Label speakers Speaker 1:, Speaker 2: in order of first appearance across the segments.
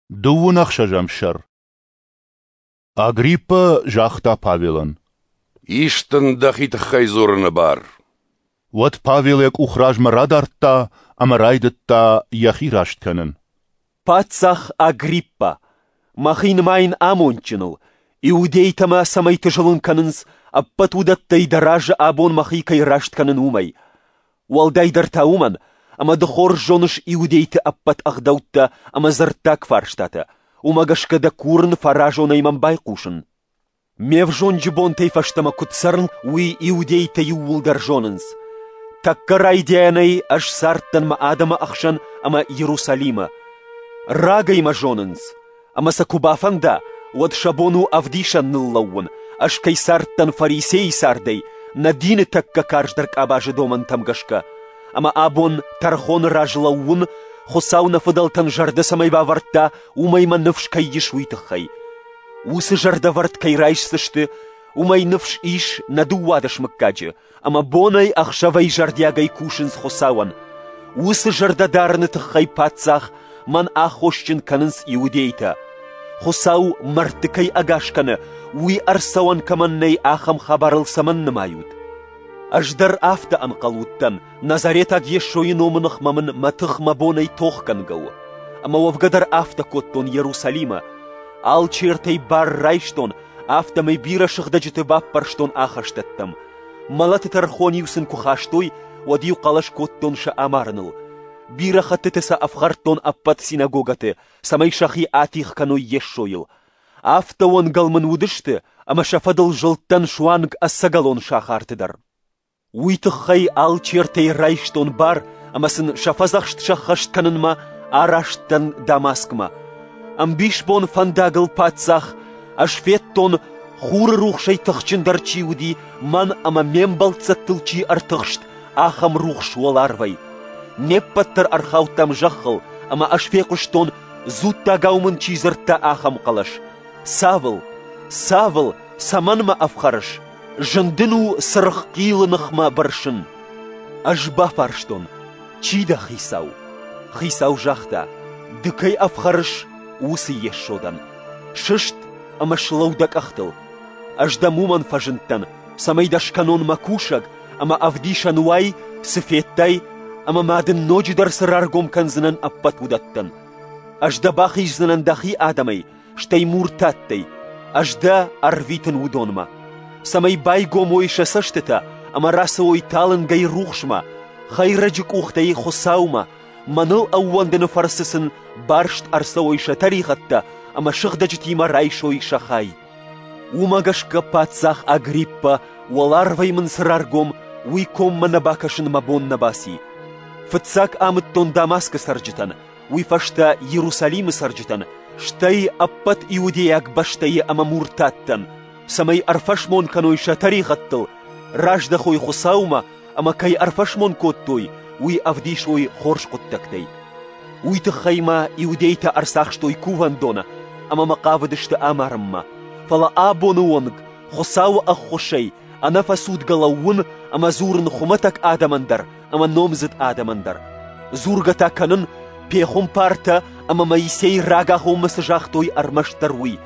Speaker 1: Дыууын ӕхсӕзӕм сӕр. Агриппа загъта Павелӕн:
Speaker 2: Ис дын дӕхи тыххӕй дзурыны бар.
Speaker 1: Уӕд Павел йӕ къух размӕ радардта ӕмӕ райдыдта йӕхи раст кӕнын.
Speaker 3: Паддзах Агриппа, мӕхи нымайын амондджыныл, иудейтӕ мӕ цӕмӕйты зылын кӕнынц, ӕппӕт уыдӕттӕй дӕ разы абон мӕхи кӕй раст кӕнын, уымӕй. Уӕлдайдӕр та уымӕн, ӕмӕ ды хорз зоныс иудейты ӕппӕт ӕгъдӕуттӕ ӕмӕ дзырддаг фарстатӕ, уымӕ гӕсгӕ дӕ курын фӕразонӕй мӕм байхъусын. Ме взонджы бонтӕй фӕстӕмӕ куыд цӕрын, уый иудейтӕ иууылдӕр зонынц. Тӕккӕ райдианӕй ӕз цардтӕн мӕ адӕмы ӕхсӕн ӕмӕ Иерусалимы. Рагӕй мӕ зонынц, ӕмӕ сӕ куы бафӕнда, уӕд сӕ бон у ӕвдисӕн ныллӕууын, ӕз кӕй цардтӕн фарисейы цардӕй, нӕ дины тӕккӕ карздӕр къабазы домӕнтӕм гӕсгӕ. Ӕмӕ абон тӕрхоны раз лӕууын, Хуыцау нӕ фыдӕлтӕн зӕрдӕ цӕмӕй бавӕрдта, уымӕй мӕ ныфс кӕй ис, уый тыххӕй. Уыцы зӕрдӕвӕрд кӕй райсдзысты, уымӕй ныфс ис нӕ 12 мыггаджы, ӕмӕ бонӕй-ӕхсӕвӕй зӕрдиагӕй кусынц Хуыцауӕн. Уыцы зӕрдӕдарыны тыххӕй паддзах мӕн аххосджын кӕнынц иудейтӕ. Хуыцау мӕрдты кӕй ӕгас кӕны, уый ӕрцӕуӕн кӕмӕн нӕй, ахӕм хабарыл цӕмӕн нымайут? Ӕз дӕр афтӕ ӕнхъӕл уыдтӕн, Назаретаг Йесойы номы ныхмӕ мын мӕ тых мӕ бонӕй тохгӕнгӕ у. Ӕмӕ уӕвгӕ дӕр афтӕ кодтон Иерусалимы. Алчертӕй бар райстон, афтӕмӕй бирӕ сыгъдӕджыты баппӕрстон ахӕстӕттӕм. Мӕлӕты тӕрхон-иу сын куы хастой, уӕд-иу хъӕлӕс кодтон сӕ амарыныл. Бирӕ хӕттыты сӕ ӕфхӕрдтон ӕппӕт синагогӕты, цӕмӕй сӕхи атигъ кӕной Йесойыл. Афтӕ уӕнгӕл мын уыдысты, ӕмӕ сӕ фӕдыл зылдтӕн суанг ӕцӕгӕлон сахарты дӕр. Уый тыххӕй алчертӕй райстон бар ӕмӕ сын сӕ фӕдзӕхст сӕххӕст кӕнынмӕ араст дӕн Дамаскмӕ. Ӕмбисбон фӕндагыл паддзах ӕз федтон, хуры рухсӕй тыхджындӕр чи уыди, мӕн ӕмӕ ме мбӕлццӕттыл чи ӕртыхст, ахӕм рухс уӕларвӕй. Не ппӕт дӕр ӕрхаудтам зӕххыл, ӕмӕ ӕз фехъуыстон, дзуттагау мын чи дзырдта, ахӕм хъӕлӕс: «Савл, Савл, цӕмӕн мӕ ӕфхӕрыс? Зын дын у цыргъ хъилы ныхмӕ бырсын». Ӕз бафарстон: «Чи дӕ, Хицау?» Хицау загъта: «Ды кӕй ӕфхӕрыс, уыцы Йесо дӕн. Сыст ӕмӕ слӕуу дӕ къӕхтыл. Ӕз дӕм уымӕн фӕзындтӕн, цӕмӕй дӕ скӕнон мӕ кусӕг ӕмӕ ӕвдисӕн уай, цы федтай, ӕмӕ ма дын ноджыдӕр цы раргом кӕндзынӕн ӕппӕт уыдӕттӕн. Ӕз дӕ бахиздзынӕн дӕхи адӕмӕй, стӕй муртаттӕй. Ӕз дӕ ӕрвитын уыдонмӕ, цӕмӕй байгом уой сӕ цӕстытӕ ӕмӕ рацӕуой талынгӕй рухсмӕ, хӕйрӕджы къухтӕй Хуыцаумӕ, мӕныл ӕууӕндыны фӕрцы сын барст ӕрцӕуой сӕ тӕригъӕдтӕ ӕмӕ сыгъдӕджытимӕ райсой сӕ хай. Уымӕ гӕсгӕ паддзах Агриппа, уӕларвӕй мын цы раргом, уый коммӕ нӕ бакӕсын мӕ бон нӕ баци. Фыццаг амыдтон Дамаскы цӕрджытӕн, уый фӕстӕ Иерусалимы цӕрджытӕн, стӕй ӕппӕт иудейаг бӕстӕйы ӕмӕ муртаттӕн, цӕмӕй ӕрфӕсмон кӕной сӕ тӕригъӕдтыл, раздӕхой Хуыцаумӕ ӕмӕ кӕй ӕрфӕсмон кодтой, уый ӕвдисой хорз хъуыддӕгтӕй. Уый тыххӕй мӕ иудейтӕ ӕрцахстой кувӕндоны ӕмӕ мӕ хъавыдысты амарынмӕ. Фӕлӕ абоны онг Хуыцауы ӕххуысӕй ӕнӕфӕцудгӕ лӕууын ӕмӕ дзурын хуымӕтӕг адӕмӕн дӕр ӕмӕ номдзыд адӕмӕн дӕр. Дзургӕ та кӕнын, пехуымпартӕ ӕмӕ Моисей рагагъоммӕ цы загътой, ӕрмӕстдӕр уый.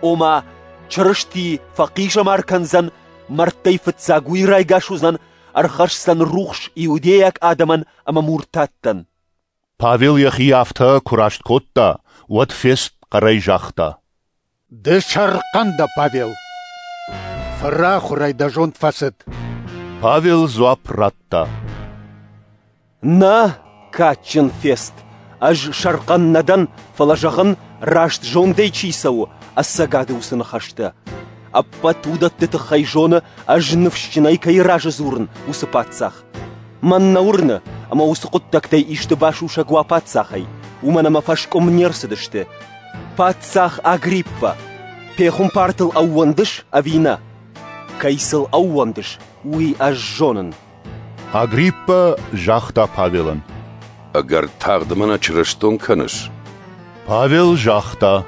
Speaker 3: Ома, Чырысти фӕхъизӕмар кӕндзӕн, мӕрдтӕй фыццаг уый райгас уыдзӕн, ӕрхӕсдзӕн рухс иудейаг адӕмӕн ӕмӕ муртаттӕн.
Speaker 1: Павел йӕхи афтӕ куы раст кодта, уӕд Фест хъӕрӕй загъта:
Speaker 4: «Ды сӕрхъӕн дӕ, Павел! Фырахуырӕй дӕ зонд фӕцыд!»
Speaker 1: Павел дзуапп радта:
Speaker 3: «Нӕ, кадджын Фест, ӕз сӕрхъӕн нӕ дӕн, фӕлӕ зӕгъын, раст зондӕй чи цӕуы, ӕцӕгады уыцы ныхӕстӕ. Ӕппӕт уыдӕтты тыххӕй зоны, ӕз ныфсджынӕй кӕй разы дзурын, уыцы паддзах. Мӕн нӕ уырны, ӕмӕ уыцы хъуыддӕгтӕй исты басусӕг уа паддзахӕй, уымӕн ӕмӕ фӕскъуым не рцыдысты. Паддзах Агриппа, пехуымпартыл ӕууӕндыс ӕви нӕ? Кӕй сыл ӕууӕндыс, уый ӕз зонын.
Speaker 1: Агриппа загъта Павелӕн:
Speaker 2: «Ӕгӕр тагъд мӕ нӕ чырыстон кӕныс?»
Speaker 1: Павел загъта: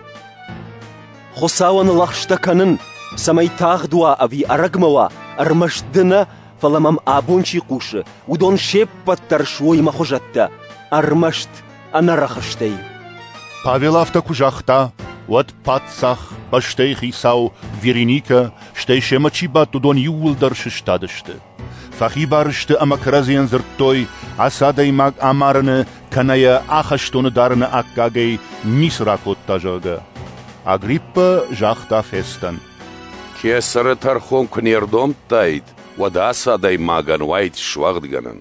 Speaker 3: «Хуыцауӕн лӕгъстӕ кӕнын, цӕмӕй тагъд уа ӕви ӕрӕгмӕ уа, ӕрмӕст ды нӕ, фӕлӕ мӕм абон чи хъусы, уыдон се ппӕт дӕр суой мӕ хуызӕттӕ, ӕрмӕст ӕнӕрӕхыстӕй».
Speaker 1: Павел афтӕ куы загъта, уӕд паддзах, бӕстӕйы хицау, Вериникӕ, стӕй семӕ чи бадт, уыдон иууылдӕр сыстадысты. Фӕхибар сты ӕмӕ кӕрӕдзийӕн дзырдтой, ацы адӕймаг амарыны кӕнӕ йӕ ахӕстоны дарыны аккагӕй ницы ракодта, зӕгъгӕ. Агриппа загъта Фестӕн:
Speaker 2: Кесӕры тӕрхон куы не рдомдтаид, уӕд ацы адӕймагӕн уаид суӕгъдгӕнӕн.